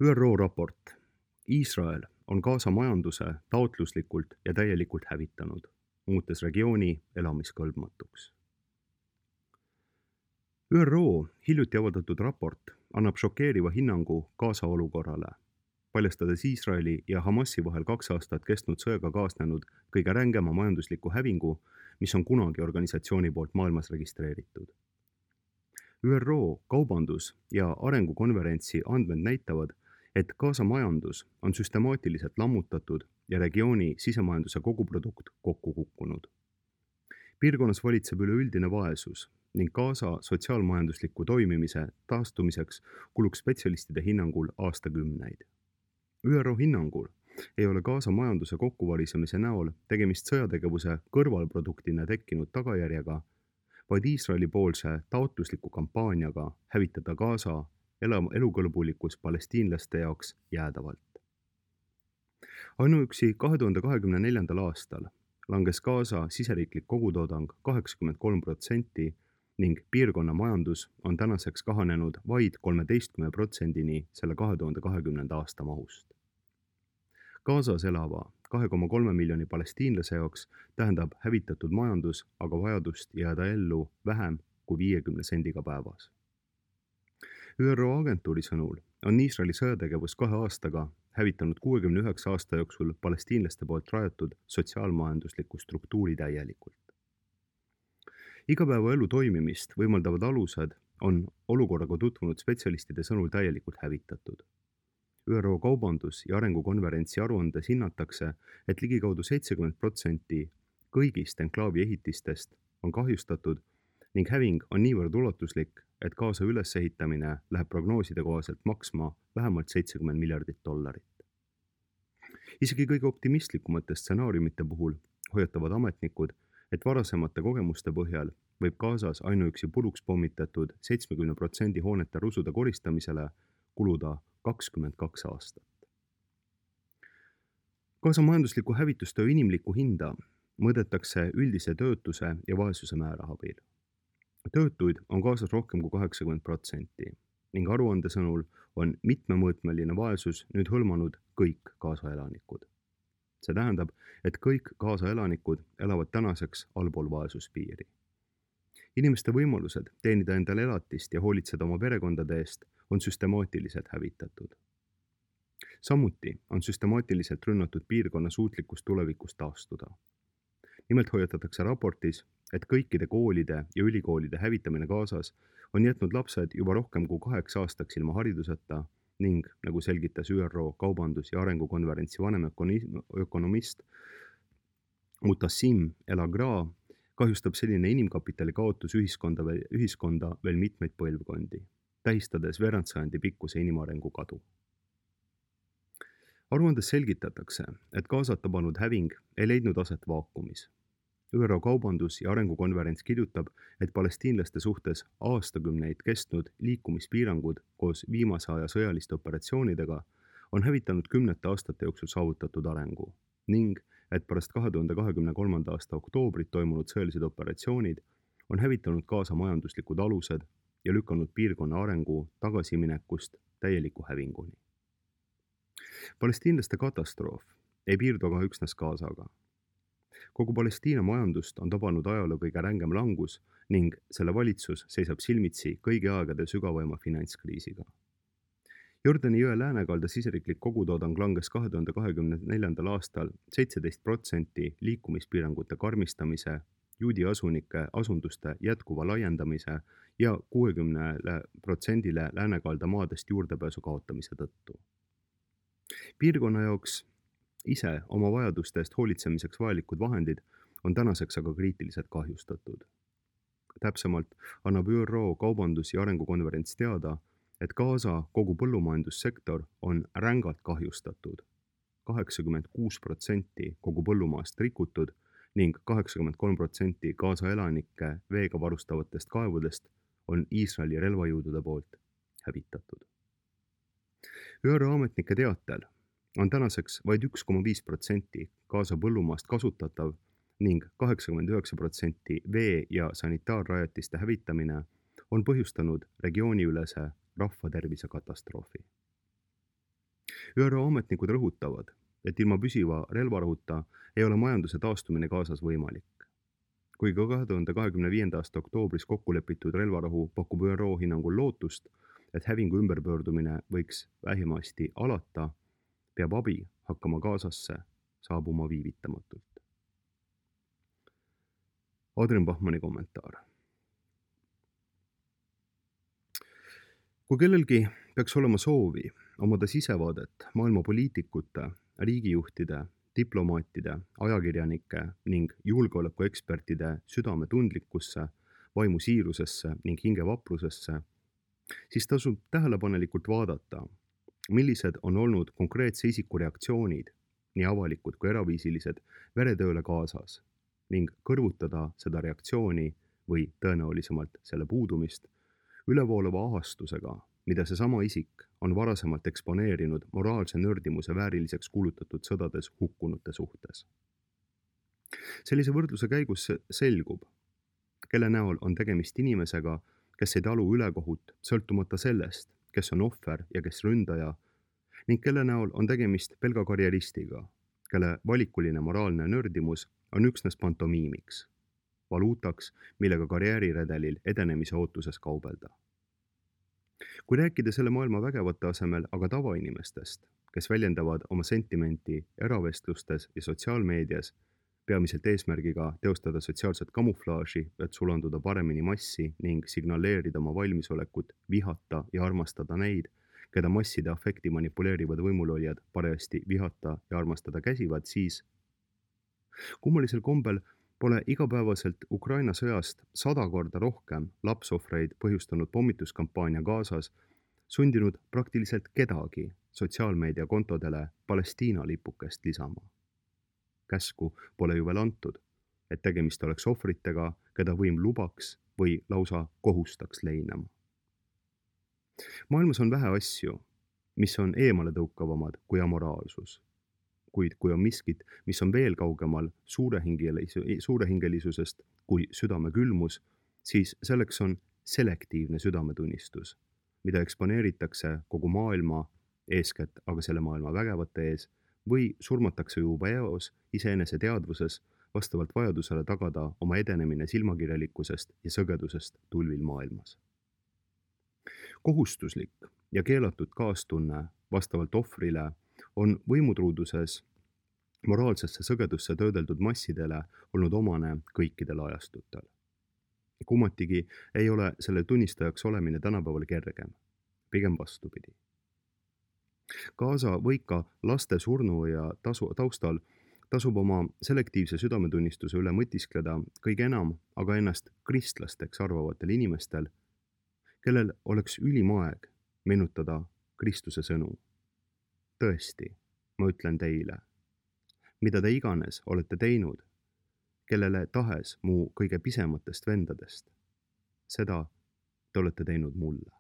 ÜRO raport. Iisrael on Gaza majanduse taotluslikult ja täielikult hävitanud, muutes regiooni elamiskõlbmatuks. ÜRO hiljuti avaldatud raport annab šokeeriva hinnangu Gaza olukorrale, paljastades Iisraeli ja Hamasi vahel 2 aastat kestnud sõjaga kaasnenud kõige rängema majandusliku hävingu, mis on kunagi organisatsiooni poolt maailmas registreeritud. ÜRO kaubandus- ja arengukonverentsi andmed näitavad, et Gaza majandus on süstemaatiliselt lammutatud ja regiooni sisemajanduse koguprodukt kokku kukkunud. Piirkonnas valitseb üleüldine vaesus ning Gaza sotsiaalmajandusliku toimimise taastumiseks kuluks spetsialistide hinnangul aastakümneid. ÜRO hinnangul ei ole Gaza majanduse kokkuvarisemise näol tegemist sõjategevuse kõrvalproduktina tekkinud tagajärjega, vaid Iisraeli poolse taotlusliku kampaaniaga hävitada Gaza elukõlbulikkus palestiinlaste jaoks jäädavalt. Ainuüksi 2024. aastal langes Gaza siseriiklik kogutoodang 83% ning piirkonna majandus on tänaseks kahanenud vaid 13%-ni selle 2020. aasta mahust. Gazas elava 2,3 miljoni palestiinlase jaoks tähendab hävitatud majandus aga vajadust jääda ellu vähem kui 50 sendiga päevas. ÜRO agentuuri sõnul on Iisraeli sõjategevus 2 aastaga hävitanud 69 aasta jooksul palestiinlaste poolt rajatud sotsiaalmajandusliku struktuuri täielikult. Igapäevaelu toimimist võimaldavad alused on olukorraga tutvunud spetsialistide sõnul täielikult hävitatud. ÜRO kaubandus- ja arengukonverentsi aruandes hinnatakse, et ligikaudu 70% kõigist enklaavi ehitistest on kahjustatud ning häving on niivõrd ulatuslik, et Gaza ülesehitamine läheb prognooside kohaselt maksma vähemalt $70 miljardit. Isegi kõige optimistlikumate stsenaariumite puhul hoiatavad ametnikud, et varasemate kogemuste põhjal võib Gazas ainuüksi puruks pommitatud 70% hoonete rusude koristamisele kuluda 22 aastat. Gaza majandusliku hävitustöö inimlikku hinda mõõdetakse üldise töötuse ja vaesuse määra abil. Töötuid on Gazas rohkem kui 80% ning aruande sõnul on mitmemõõtmeline vaesus nüüd hõlmanud kõik Gaza elanikud. See tähendab, et kõik Gaza elanikud elavad tänaseks allpool vaesuspiiri. Inimeste võimalused teenida endale elatist ja hoolitseda oma perekondade eest on süstemaatiliselt hävitatud. Samuti on süstemaatiliselt rünnatud piirkonna suutlikkus tulevikus taastuda. Nimelt hoiatatakse raportis, et kõikide koolide ja ülikoolide hävitamine Gazas on jätnud lapsed juba rohkem kui 8 aastaks ilma hariduseta ning, nagu selgitas ÜRO kaubandus- ja arengukonverentsi vanemökonomist Mutassim El-Agra, kahjustab selline inimkapitali kaotus ühiskonda veel mitmeid põlvkondi, tähistades veerandsajandi pikkuse inimarengu kadu. Aruandes selgitatakse, et Gazat tabanud häving ei leidnud aset vaakumis. ÜRO kaubandus- ja arengukonverents kirjutab, et palestiinlaste suhtes aastakümneid kestnud liikumispiirangud koos viimase aja sõjaliste operatsioonidega on hävitanud 10 aastate jooksul saavutatud arengu ning et pärast 2023. aasta oktoobrit toimunud sõjalised operatsioonid on hävitanud Gaza majanduslikud alused ja lükanud piirkonna arengu tagasiminekust täieliku hävinguni. Palestiinlaste katastroof ei piirdu aga üksnes Gazaga. Kogu Palestiina majandust on tabanud ajaloo kõige rängem langus ning selle valitsus seisab silmitsi kõigi aegade sügavaima finantskriisiga. Jordani jõe läänekalda siseriiklik kogutoodang langes 2024. aastal 17% liikumispiirangute karmistamise, juudi asunduste jätkuva laiendamise ja 60% läänekalda maadest juurdepääsu kaotamise tõttu. Piirkonna jaoks ise oma vajaduste eest hoolitsemiseks vajalikud vahendid on tänaseks aga kriitiliselt kahjustatud. Täpsemalt annab ÜRO kaubandus- ja arengukonverents teada, et Gaza kogu põllumajandussektor on rängalt kahjustatud, 86% kogu põllumaast rikutud ning 83% Gaza elanikke veega varustavatest kaevudest on Iisraeli relvajõudude poolt hävitatud. ÜRO ametnike teatel on tänaseks vaid 1,5% Gaza põllumaast kasutatav ning 89% vee- ja sanitaarrajatiste hävitamine on põhjustanud regiooniülese rahvatervise katastroofi. ÜRO ametnikud rõhutavad, et ilma püsiva relvarahuta ei ole majanduse taastumine Gazas võimalik. Kuigi 2025. aasta oktoobris kokku lepitud relvarahu pakub ÜRO hinnangul lootust, et hävingu ümberpöördumine võiks vähimasti alata, peab abi hakkama Gazasse saabuma viivitamatult. Adrian Bachmanni kommentaar. Kui kellelgi peaks olema soovi omada sisevaadet maailma poliitikute, riigijuhtide, diplomaatide, ajakirjanike ning julgeolekuekspertide südametundlikkusse, vaimu siirusesse ning hingevaprusesse, siis tasub tähelepanelikult vaadata, millised on olnud konkreetse isiku reaktsioonid, nii avalikud kui eraviisilised, veretööle Gazas ning kõrvutada seda reaktsiooni või tõenäolisemalt selle puudumist ülevoolava ahastusega, mida seesama isik on varasemalt eksponeerinud moraalse nördimuse vääriliseks kuulutatud sõdades hukkunute suhtes. Sellise võrdluse käigus selgub, kelle näol on tegemist inimesega, kes ei talu ülekohut sõltumata sellest, kes on ohver ja kes ründaja, ning kelle näol on tegemist pelga karjeristiga, kelle valikuline moraalne nördimus on üksnes pantomiimiks, valuutaks, millega karjääriredelil edenemise ootuses kaubelda. Kui rääkida selle maailma vägevate asemel aga tavainimestest, kes väljendavad oma sentimenti eravestlustes ja sotsiaalmeedias, peamiselt eesmärgiga teostada sotsiaalset kamuflaaži, et sulanduda paremini massi ning signaleerida oma valmisolekut vihata ja armastada neid, keda masside afekti manipuleerivad võimulolijad parajasti vihata ja armastada käsivad, siis kummalisel kombel pole igapäevaselt Ukraina sõjast 100 korda rohkem lapsohvreid põhjustanud pommituskampaania Gazas sundinud praktiliselt kedagi sotsiaalmeedia kontodele Palestiina lipukest lisama. Käsku pole ju veel antud, et tegemist oleks ohvritega, keda võim lubaks või lausa kohustaks leinama. Maailmas on vähe asju, mis on eemale tõukavamad kui amoraalsus. Kuid kui on miskit, mis on veel kaugemal suurehingelisusest kui südame külmus, siis selleks on selektiivne südametunnistus, mida eksponeeritakse kogu maailma, eeskätt aga selle maailma vägevate ees, või surmatakse juba eos iseenese teadvuses vastavalt vajadusele tagada oma edenemine silmakirjalikkusest ja sõgedusest tulvil maailmas. Kohustuslik ja keelatud kaastunne vastavalt ohvrile on võimutruuduses moraalsesse sõgedusse töödeldud massidele olnud omane kõikidel ajastutel. Kummatigi ei ole selle tunnistajaks olemine tänapäeval kergem, pigem vastupidi. Gaza võika laste surnu ja taustal tasub oma selektiivse südametunnistuse üle mõtiskleda kõige enam aga ennast kristlasteks arvavatel inimestel, kellel oleks ülim aeg meenutada Kristuse sõnu. Tõesti, ma ütlen teile, mida te iganes olete teinud, kellele tahes mu kõige pisematest vendadest, seda te olete teinud mulle.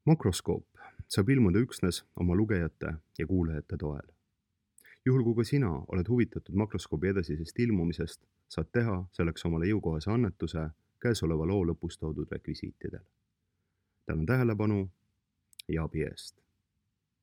Makroskoop saab ilmuda üksnes oma lugejate ja kuulajate toel. Juhul kui ka sina oled huvitatud makroskoobi edasisest ilmumisest, saad teha selleks omale jõukohase annetuse käesoleva loo lõpus toodud rekvisiitidel. Tänan tähelepanu ja abi eest.